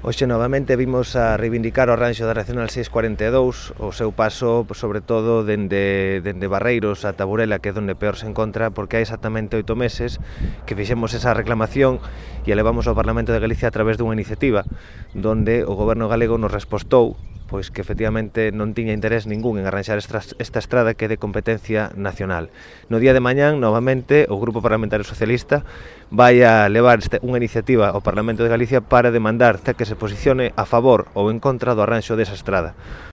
Hoxe novamente vimos a reivindicar o arranxo da Nacional 642, o seu paso, sobre todo, dende Barreiros a Burela, que é onde peor se encontra, porque hai exactamente 8 meses que fixemos esa reclamación e a levamos ao Parlamento de Galicia a través dunha iniciativa donde o goberno galego nos respostou pois que efectivamente non tiña interés ningún en arranxar esta estrada que é de competencia nacional. No día de mañán, novamente, o Grupo Parlamentario Socialista vai a levar unha iniciativa ao Parlamento de Galicia para demandar que se posicione a favor ou en contra do arranxo desa estrada.